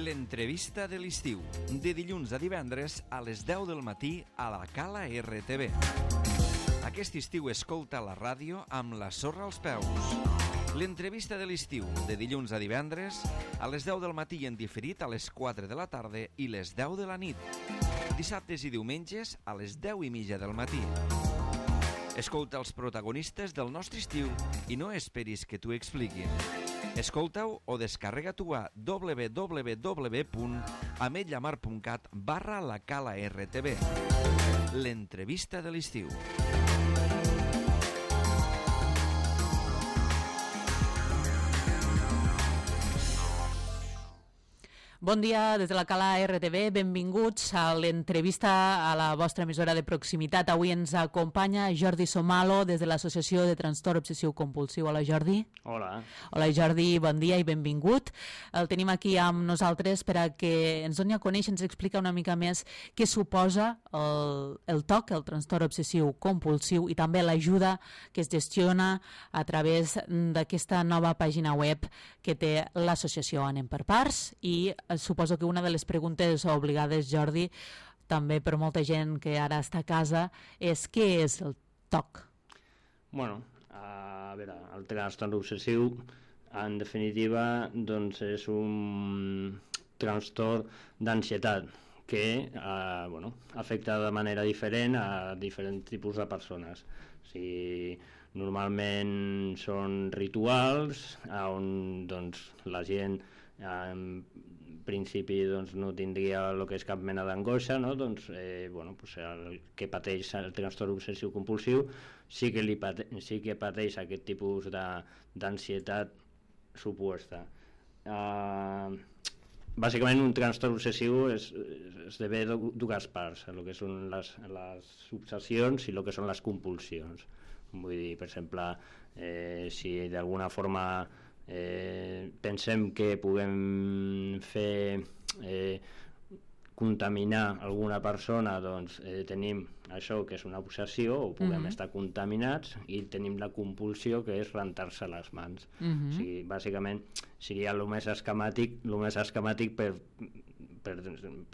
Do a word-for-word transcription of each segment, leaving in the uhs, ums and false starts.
L'entrevista de l'estiu, de dilluns a divendres a les deu del matí a la Cala R T V. Aquest estiu escolta la ràdio amb la sorra als peus. L'entrevista de l'estiu, de dilluns a divendres a les deu del matí i en diferit a les quatre de la tarda i les deu de la nit. Dissabtes i diumenges a les deu i mitja del matí. Escolta els protagonistes del nostre estiu i no esperis que t'ho expliquin. Escolta-ho o descarrega-t'ho a w w w punt ametlla mar punt cat barra la Cala R T V. L'entrevista de l'estiu. Bon dia des de la Cala R T V, benvinguts a l'entrevista a la vostra emissora de proximitat. Avui ens acompanya Jordi Somalo des de l'Associació de Trastorn Obsessiu Compulsiu. Hola, Jordi. Hola. Hola, Jordi, bon dia i benvingut. El tenim aquí amb nosaltres per a que ens doni a conèixer, ens explica una mica més què suposa el, el T O C, el Trastorn Obsessiu Compulsiu, i també l'ajuda que es gestiona a través d'aquesta nova pàgina web que té l'associació. Anem per parts i suposo que una de les preguntes obligades, Jordi, també per molta gent que ara està a casa, és què és el T O C? Bueno, a veure, el trastorn obsessiu, en definitiva, doncs és un trastorn d'ansietat que eh, bueno, afecta de manera diferent a diferents tipus de persones. O sigui, normalment són rituals on doncs, la gent en principi doncs, no tindria el que és cap mena d'angoixa, no? Doncs, eh, bueno, pues el que pateix el trastorn obsessiu compulsiu sí que, li pate sí que pateix aquest tipus d'ansietat suposta. Uh, bàsicament un trastorn obsessiu es, esdevé dues parts, el que són les, les obsessions i el que són les compulsions. Vull dir, per exemple, eh, si d'alguna forma Eh, pensem que puguem fer eh, contaminar alguna persona, doncs eh, tenim això que és una obsessió, o puguem uh-huh. estar contaminats, i tenim la compulsió que és rentar-se les mans. Uh-huh. O sigui, bàsicament seria el més esquemàtic, el més esquemàtic per, per,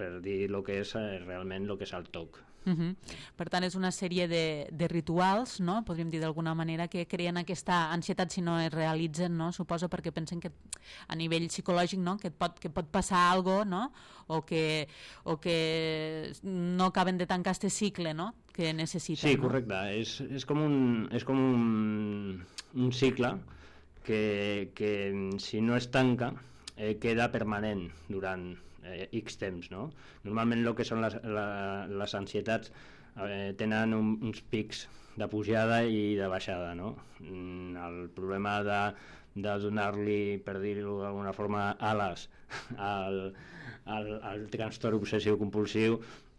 per dir el que és eh, realment el que és el T O C. Uh-huh. Per tant, és una sèrie de, de rituals, no? Podríem dir d'alguna manera, que creen aquesta ansietat si no es realitzen, no? Suposo perquè pensen que a nivell psicològic, no? que, et pot, que pot passar alguna cosa, no? o, que, o que no acaben de tancar este cicle, no? que necessiten. Sí, correcte. No? És, és com, un, és com un, un cicle que, que si no es tanca eh, queda permanent durant eh, X temps, no? Normalment el que són les, la, les ansietats eh, tenen un, uns pics de pujada i de baixada, no? El problema de, de donar-li, per dir-ho d'alguna forma, ales al, al, al trastorn obsessiu compulsiu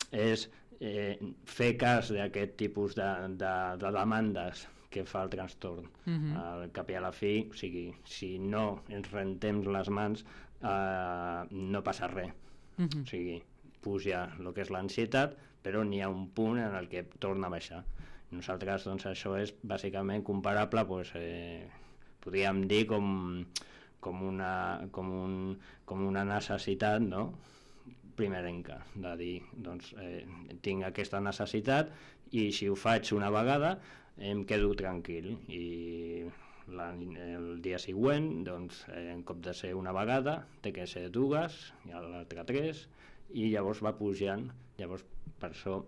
és eh, fer cas d'aquest tipus de, de, de demandes que fa el trastorn. Uh-huh. Al cap i a la fi, o sigui, si no ens rentem les mans, eh, no passa res. Uh-huh. O sigui, puja el que és l'ansietat, però n'hi ha un punt en el que torna a baixar. Nosaltres, doncs, això és bàsicament comparable, pues, eh, podríem dir com, com, una, com, un, com una necessitat, no?, primerenca, de dir, doncs, eh, tinc aquesta necessitat i si ho faig una vegada em quedo tranquil, i la, el dia següent, doncs, eh, en cop de ser una vegada té que ser dues, i l'altre tres, i llavors va pujant. Llavors, per això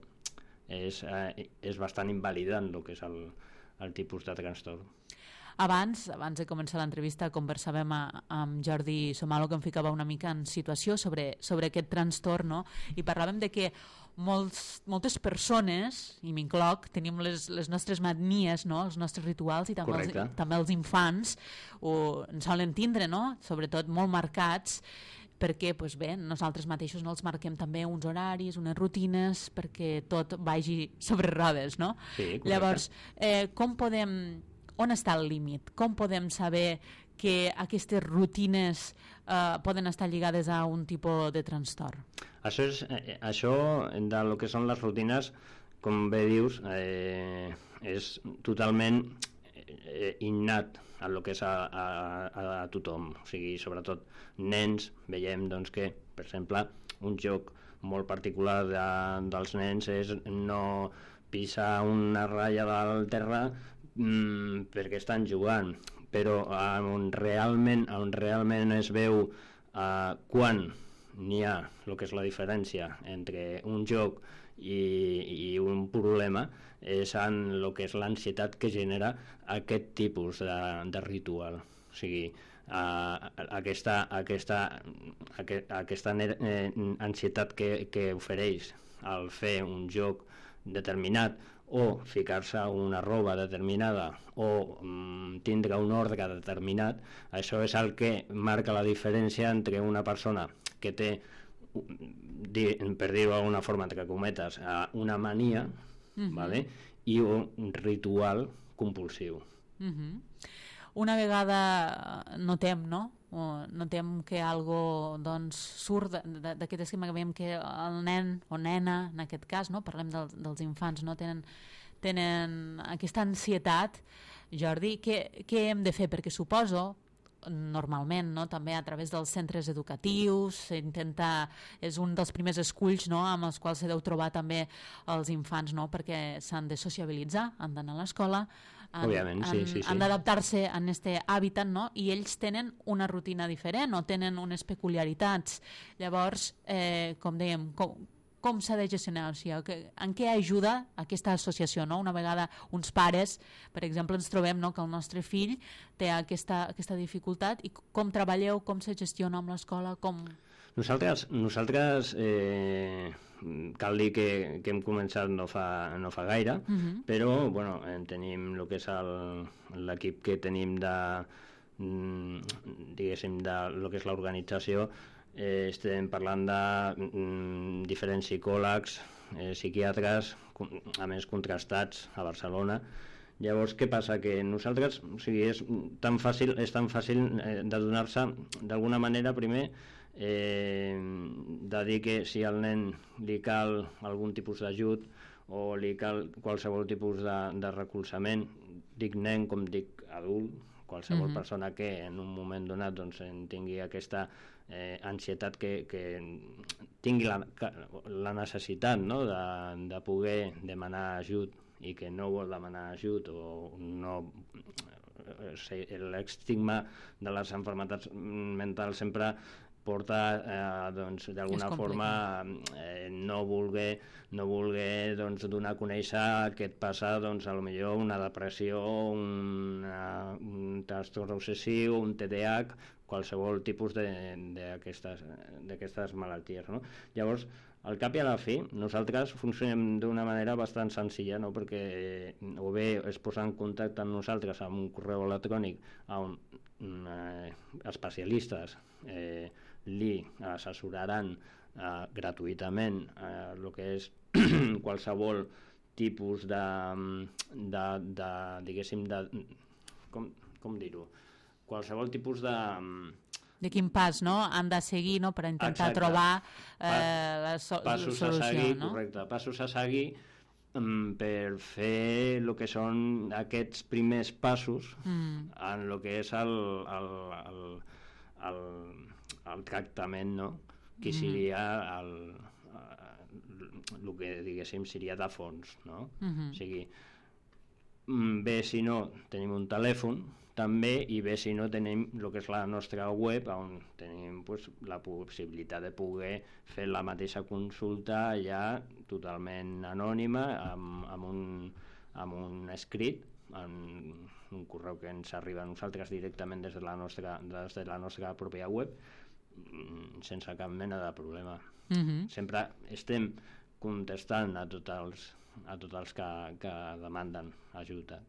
és, eh, és bastant invalidant el que és el, el tipus de trastorn. Abans, abans de començar l'entrevista, conversàvem a, amb Jordi Somalo, que em ficava una mica en situació sobre, sobre aquest trastorn, no? I parlàvem de que molts, moltes persones, i m'incloc, tenim les, les nostres manies, no? Els nostres rituals, i també, els, també els infants ho, en solen tindre, no? Sobretot molt marcats, perquè pues bé, nosaltres mateixos no els marquem també uns horaris, unes rutines, perquè tot vagi sobre rodes, no? Sí, llavors, eh, com podem... On està el límit? Com podem saber que aquestes rutines eh, poden estar lligades a un tipus de trastorn? Això, és, eh, això de lo que són les rutines, com bé dius, eh, és totalment eh, innat a lo que és a, a, a tothom, o sigui, sobretot nens, veiem doncs, que, per exemple, un joc molt particular de, dels nens és no pisar una ratlla del terra mmm, perquè estan jugant, però on realment, on realment es veu uh, quan n'hi ha el que és la diferència entre un joc i, i un problema és en el que és l'ansietat que genera aquest tipus de, de ritual. O sigui, uh, aquesta, aquesta, aqu aquesta eh, ansietat que, que ofereix al fer un joc determinat o ficar-se una roba determinada o mm, tindre un ordre determinat, això és el que marca la diferència entre una persona que té, per dir-ho d'alguna forma, entre cometes, una mania, uh-huh. ¿vale? I un ritual compulsiu. Uh-huh. Una vegada notem, no? O notem que algo doncs, surt d'aquest esquema que veiem que el nen o nena, en aquest cas, no? Parlem del, dels infants, no? tenen, tenen aquesta ansietat. Jordi, què, què hem de fer? Perquè suposo, normalment, no? També a través dels centres educatius, s'intenta, és un dels primers esculls, no? Amb els quals se deu trobar també els infants, no? Perquè s'han de sociabilitzar, han d'anar a l'escola, han, Òbviament, sí, han, sí, sí. han d'adaptar-se a aquest hàbitat, no? I ells tenen una rutina diferent o tenen unes peculiaritats. Llavors, eh, com dèiem, com, com s'ha de gestionar? O sigui, en què ajuda aquesta associació? No? Una vegada uns pares, per exemple, ens trobem, no? Que el nostre fill té aquesta, aquesta dificultat i com treballeu, com se gestiona amb l'escola, com... Nosaltres, nosaltres eh, cal dir que, que hem començat no fa, no fa gaire, uh-huh. però bueno, tenim el que és l'equip que tenim de, diguéssim, de lo que és l'organització. Eh, estem parlant de mm, diferents psicòlegs, eh, psiquiatres, a més contrastats a Barcelona. Llavors, què passa? Que nosaltres, o sigui, és tan fàcil, és tan fàcil eh, de donar-se, d'alguna manera, primer, eh, de dir que si al nen li cal algun tipus d'ajut o li cal qualsevol tipus de, de recolzament, dic nen com dic adult, qualsevol uh-huh. persona que en un moment donat doncs, en tingui aquesta eh, ansietat que, que tingui la, la necessitat, no? de, de poder demanar ajut i que no vol demanar ajut o no... l'estigma de les malalties mentals sempre porta eh, doncs, d'alguna forma eh, no voler, no voler doncs, donar a conèixer que et passa doncs, a lo millor una depressió, una, un trastorn obsessiu, un T D A H, qualsevol tipus d'aquestes malalties. No? Llavors, al cap i a la fi, nosaltres funcionem d'una manera bastant senzilla, no? Perquè o bé es posa en contacte amb nosaltres amb un correu electrònic on eh, especialistes eh, li assessoraran eh, gratuïtament eh, el que és qualsevol tipus de, de, de diguéssim, de, com, com dir-ho, qualsevol tipus de... De quin pas, no?, han de seguir, no?, per intentar Exacte. trobar eh, la so passos solució, a seguir, no? Correcte, passos a seguir um, per fer el que són aquests primers passos mm. en el que és el, el, el, el, el tractament, no?, que seria el, el que, diguéssim, seria de fons, no? Mm-hmm. O sigui, bé, si no, tenim un telèfon, també, i bé, si no, tenim el que és la nostra web, on tenim pues, la possibilitat de poder fer la mateixa consulta ja totalment anònima, amb, amb, un, amb un escrit, amb un correu que ens arriba a nosaltres directament des de la nostra, des de la nostra pròpia web, sense cap mena de problema. Mm-hmm. Sempre estem contestant a tots els, a tots els que, que demanden ajuda.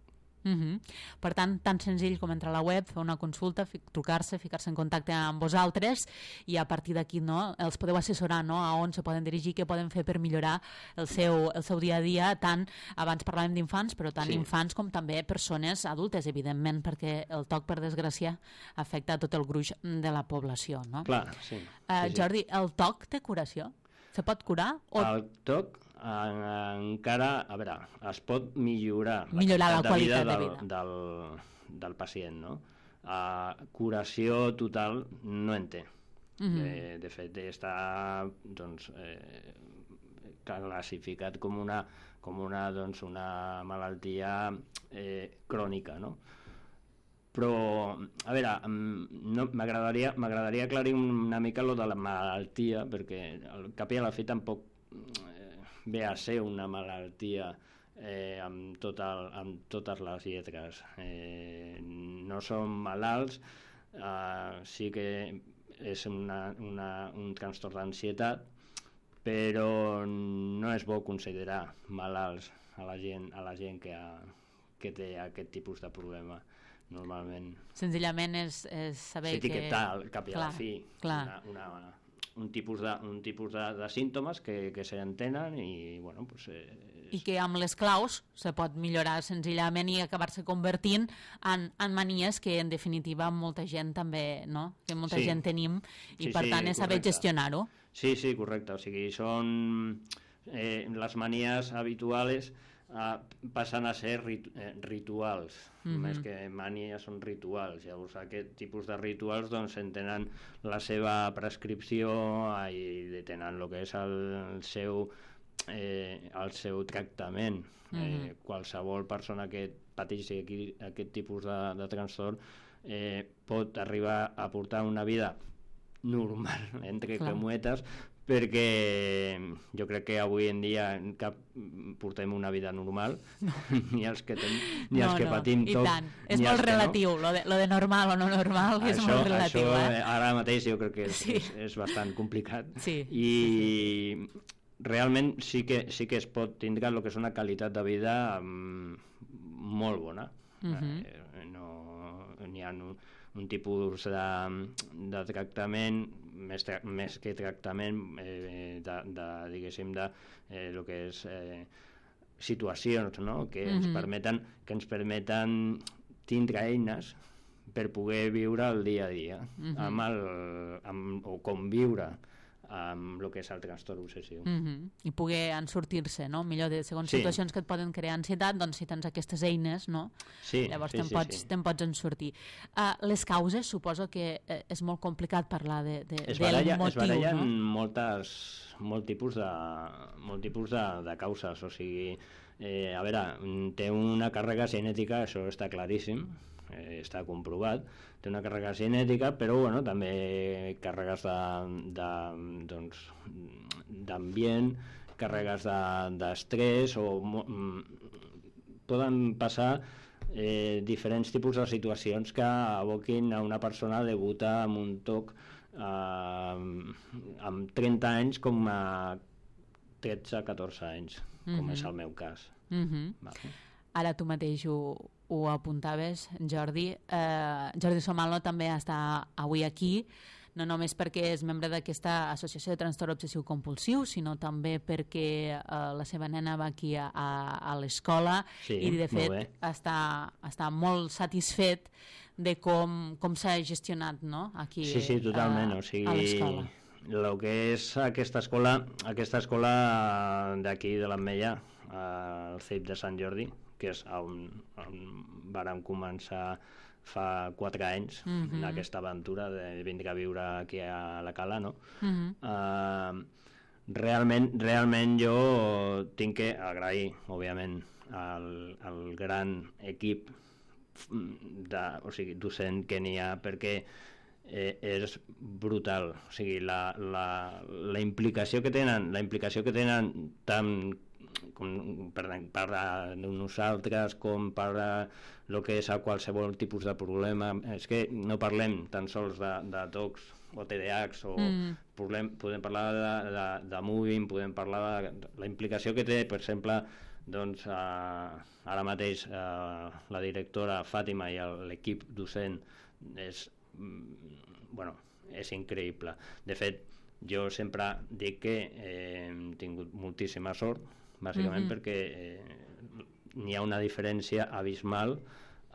Uh-huh. Per tant, tan senzill com entrar a la web, fer una consulta, trucar-se, ficar-se en contacte amb vosaltres i a partir d'aquí, no, els podeu assessorar, no, a on se poden dirigir, què poden fer per millorar el seu, el seu dia a dia, tant, abans parlàvem d'infants, però tant sí. infants com també persones adultes, evidentment, perquè el toc, per desgràcia, afecta a tot el gruix de la població, no? Clar, sí. Uh, sí, sí. Jordi, el toc té curació? Se pot curar? O... El toc, en, encara, a veure, es pot millorar, millorar la, la qualitat de vida, vida del, del, del pacient, no? Uh, curació total no en té. Mm-hmm. de, de fet, està doncs, eh, classificat com una, com una, doncs, una malaltia eh, crònica, no? Però, a veure, no, m'agradaria m'agradaria aclarir una mica lo de la malaltia, perquè al cap i a la fi tampoc eh, ve a ser una malaltia eh, amb, tot el, amb totes les lletres. Eh, no som malalts, eh, sí que és una, una, un trastorn d'ansietat, però no és bo considerar malalts a la gent, a la gent que, ha, que té aquest tipus de problema. Normalment senzillament és, és saber que... s'etiquetar al cap i a la fi una, una, una, un tipus de, un tipus de, de símptomes que, que s'entenen i, bueno, pues, eh, i que amb les claus se pot millorar senzillament i acabar-se convertint en, en manies que en definitiva molta gent també, no? Que molta sí. gent tenim i sí, per sí, tant és saber gestionar-ho. Sí, sí, correcte, o sigui, són eh, les manies habituals Uh, passen a ser rit eh, rituals, mm-hmm. més que mànies són rituals. Llavors aquest tipus de rituals doncs tenen la seva prescripció i tenen el que és el, el seu eh, el seu tractament. Mm-hmm. eh, qualsevol persona que pateixi aquí, aquest tipus de, de trastorn eh, pot arribar a portar una vida normal, entre Clar. cometes, perquè jo crec que avui en dia cap portem una vida normal, no. ni els que, ten, ni no, els que no. patim I tot, tant. És molt relatiu, no. lo, de, lo de normal o no normal això, és molt relatiu. Això, eh? Ara mateix jo crec que és, sí. és, és bastant complicat. Sí. I realment sí que, sí que es pot tindre el que és una qualitat de vida um, molt bona. Uh-huh. eh, no, n'hi ha un, un tipus de, de tractament més, tra més que tractament eh, de, de, diguéssim, de eh, lo que és eh, situacions, no? que, mm-hmm. ens permeten, que ens permeten tindre eines per poder viure el dia a dia, mm-hmm. amb el, amb, o conviure amb el que és el trastorn obsessiu. Mm-hmm. I poder en sortir-se, no? Millor de segons sí. situacions que et poden crear ansietat, doncs si tens aquestes eines, no? Sí, llavors sí, te'n sí, pots, sí. te'n pots en sortir. Uh, les causes, suposo que eh, és molt complicat parlar de, de, es del baralla, motiu, es barallen no? moltes, molt tipus de, molt tipus de, de causes, o sigui, eh, a veure, té una càrrega genètica, això està claríssim, eh, està comprovat, té una càrrega genètica, però bueno, també càrregues de, de, doncs, d'ambient, càrregues d'estrès, de, o poden passar eh, diferents tipus de situacions que aboquin a una persona a debutar amb un toc eh, amb trenta anys com a tretze a catorze anys, com mm-hmm. és el meu cas. Mm-hmm. Vale. Ara tu mateix ho, ho apuntaves, Jordi. Eh, Jordi Somalo també està avui aquí, no només perquè és membre d'aquesta associació de trastorn obsessiu compulsiu, sinó també perquè eh, la seva nena va aquí a, a, a l'escola sí, i de fet està, està molt satisfet de com, com s'ha gestionat, no? Aquí, sí, sí, totalment. eh, o sigui, a l'escola. El que és aquesta escola, aquesta escola d'aquí de l'Ametlla, al C I P de Sant Jordi, que és on, on vàrem començar fa quatre anys, mm-hmm. aquesta aventura de vindre a viure aquí a la Cala, no? Mm-hmm. uh, realment, realment jo tinc que agrair, òbviament, al, al gran equip de, o sigui, docent que n'hi ha, perquè eh, és brutal, o sigui, la, la, la implicació que tenen, la implicació que tenen tant com per, per a nosaltres com per a el que és a qualsevol tipus de problema. És que no parlem tan sols de, de tocs o T D A Hs o mm. problem, podem parlar de, de, de moving, podem parlar de la implicació que té, per exemple, doncs, eh, ara mateix eh, la directora Fàtima i l'equip docent és, bueno, és increïble. De fet, jo sempre dic que eh, hem tingut moltíssima sort, bàsicament mm-hmm. perquè eh, n'hi ha una diferència abismal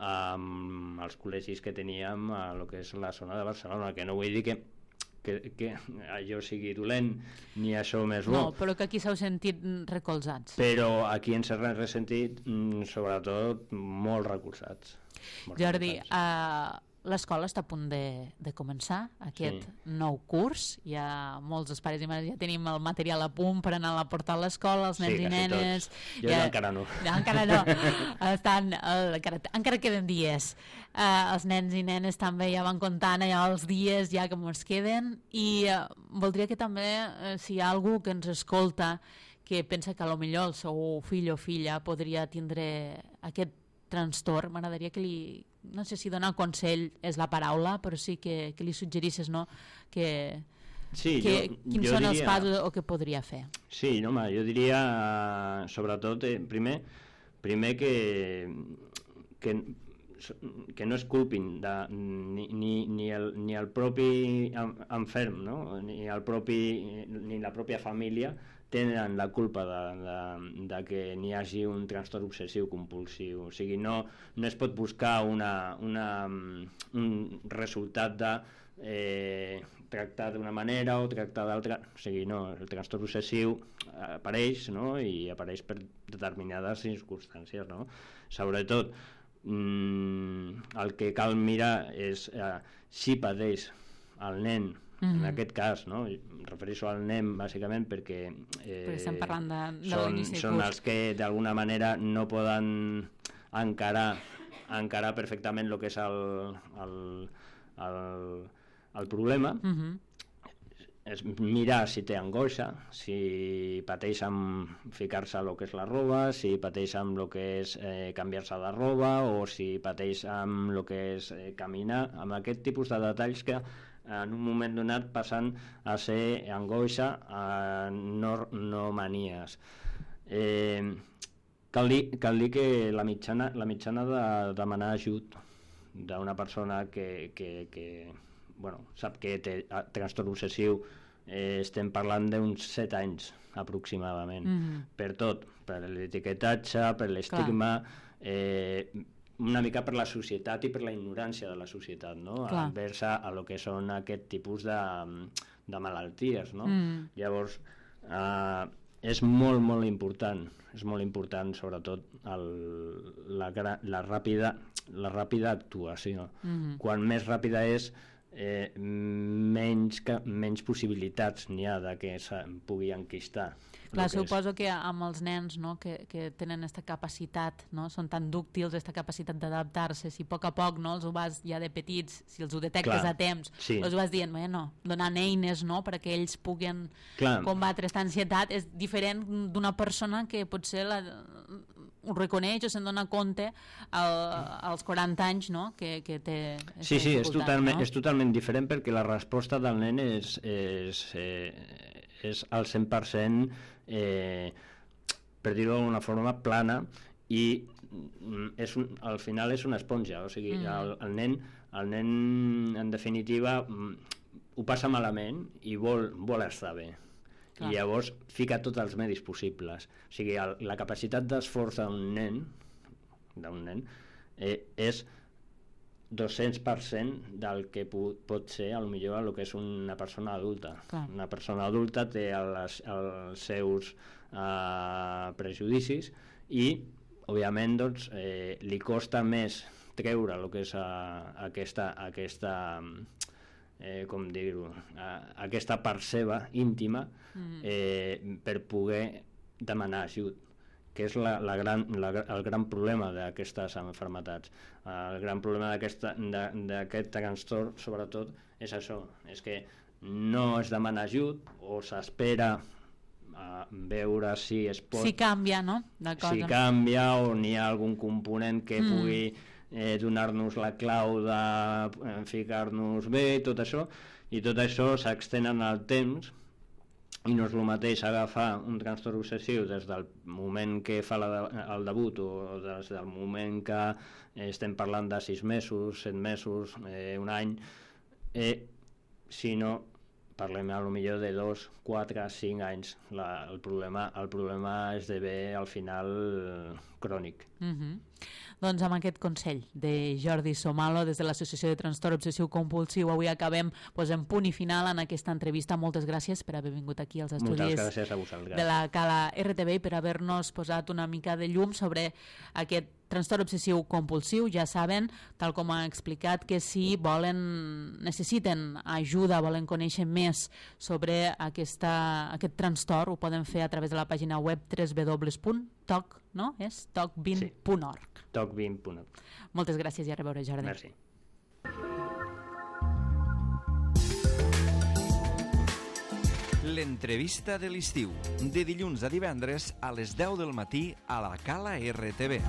amb els col·legis que teníem a lo que és la zona de Barcelona, que no vull dir que, que, que allò sigui dolent, ni això més bo. No, però que aquí s'heu sentit recolzats. Però aquí ens hem ressentit, sobretot, molt recolzats. Molt Jordi, recolzats. uh, l'escola està a punt de, de començar, aquest sí. nou curs. Ja molts dels pares i mares ja tenim el material a punt per anar a portar a l'escola, els nens sí, i nenes. Jo ja, encara no. Ja, encara no. Estan, uh, encara, encara queden dies. Uh, els nens i nenes també ja van comptant allà els dies ja que ens queden, i uh, voldria que també, uh, si hi ha algú que ens escolta que pensa que a lo millor el seu fill o filla podria tindre aquest trastorn, m'agradaria que li, no sé si donar consell és la paraula, però sí que, que li suggerisses, no?, que, sí, que jo, quins jo són diria, els passos o què podria fer. Sí, no, home, jo diria sobretot, eh, primer, primer que, que, que no es culpin de, ni, ni, ni, el, ni el propi enferm, no?, ni, el propi, ni la pròpia família tenen la culpa de, de, de que n'hi hagi un trastorn obsessiu compulsiu. O sigui, no, no es pot buscar una, una, un resultat de eh, tractar d'una manera o tractar d'altra. O sigui, no, el trastorn obsessiu apareix, no?, i apareix per determinades circumstàncies, no? Sobretot, mmm, el que cal mirar és eh, si pateix el nen. Mm-hmm. En aquest cas, no? Em refereixo al nen bàsicament perquè, eh, perquè estem parlant de, de són, són els que d'alguna manera no poden encarar, encarar perfectament el que és el, el, el, el problema. Mm-hmm. És mirar si té angoixa, si pateix amb ficar-se el que és la roba, si pateix amb el que és eh, canviar-se de roba, o si pateix amb el que és eh, caminar, amb aquest tipus de detalls que en un moment donat passen a ser angoixa, a no, no manies. Eh, cal, dir, cal dir que la mitjana, la mitjana de demanar ajut d'una persona que, que, que bueno, sap que té trastorn obsessiu, eh, estem parlant d'uns set anys aproximadament. Mm-hmm. Per tot, per l'etiquetatge, per l'estigma, eh, una mica per la societat i per la ignorància de la societat, no? Envers a, a lo que són aquest tipus de, de malalties, no? Mm. Llavors, eh, és molt, molt important, és molt important, sobretot, el, la, la, ràpida, la ràpida actuació. Mm-hmm. Quan més ràpida és, eh, menys, que, menys possibilitats n'hi ha de que se pugui enquistar. Clar, suposo que amb els nens, no?, que, que tenen aquesta capacitat, no?, són tan dúctils, aquesta capacitat d'adaptar-se, si a poc a poc, no?, els ho vas ja de petits, si els ho detectes Clar, a temps, sí. els ho vas dient, bueno, donant eines, no?, perquè ells puguen Clar. combatre aquesta ansietat, és diferent d'una persona que potser la, ho reconeix o se'n dona compte al, als quaranta anys, no?, que, que té... Sí, sí, és totalment, no? és totalment diferent perquè la resposta del nen és, és, eh, és al cent per cent Eh, per dir-ho d'alguna forma plana, i és un, al final és una esponja, o sigui, mm. el, el, nen, el nen en definitiva ho passa malament i vol, vol estar bé. Clar. I llavors fica tots els medis possibles, o sigui, el, la capacitat d'esforç d'un nen d'un nen eh, és dos-cents per cent del que pot ser a lo millor el que és una persona adulta. Clar. Una persona adulta té els, els seus uh, prejudicis i, òbviament, doncs, eh, li costa més treure el que és uh, aquesta, aquesta eh, com dir-ho, uh, aquesta part seva íntima mm. eh, per poder demanar ajut, que és la, la gran, la, el gran problema d'aquestes malalties. El gran problema d'aquest trastorn, sobretot, és això, és que no es demana ajut o s'espera a veure si es pot... Si canvia, no? Si canvia o n'hi ha algun component que mm. pugui eh, donar-nos la clau de eh, ficar-nos bé, tot això, i tot això s'extén en el temps. I no és el mateix agafar un trastorn obsessiu des del moment que fa la de, el debut o des del moment que eh, estem parlant de sis mesos, set mesos, eh, un any, eh, sinó parlem a lo millor de dos, quatre, cinc anys. La, el, problema, el problema esdevé al final crònic. Mm-hmm. Doncs amb aquest consell de Jordi Somalo des de l'Associació de Trastorn Obsessiu Compulsiu avui acabem posant punt i final en aquesta entrevista. Moltes gràcies per haver vingut aquí als estudis de la Cala R T V i per haver-nos posat una mica de llum sobre aquest trastorn obsessiu compulsiu. Ja saben, tal com ha explicat, que si volen, necessiten ajuda, volen conèixer més sobre aquesta, aquest trastorn, ho poden fer a través de la pàgina web w w w punt toc, no? És toc vint punt org. Sí, toc vint punt org. Moltes gràcies i a reveure, Jordi. Merci. L'entrevista de l'estiu, de dilluns a divendres a les deu del matí a la Cala R T V.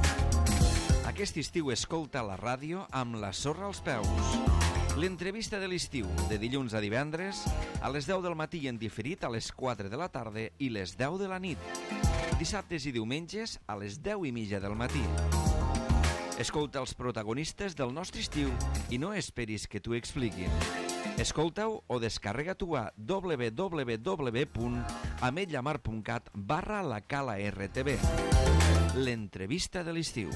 Aquest estiu escolta la ràdio amb la sorra als peus. L'entrevista de l'estiu, de dilluns a divendres a les deu del matí en diferit a les quatre de la tarda i les deu de la nit. Dissabtes i diumenges a les deu i mitja del matí. Escolta els protagonistes del nostre estiu i no esperis que t'ho expliquin. Escolta-ho o descarrega-t'ho a w w w punt ametlllamar punt cat barra la Cala R T V. L'entrevista de l'estiu.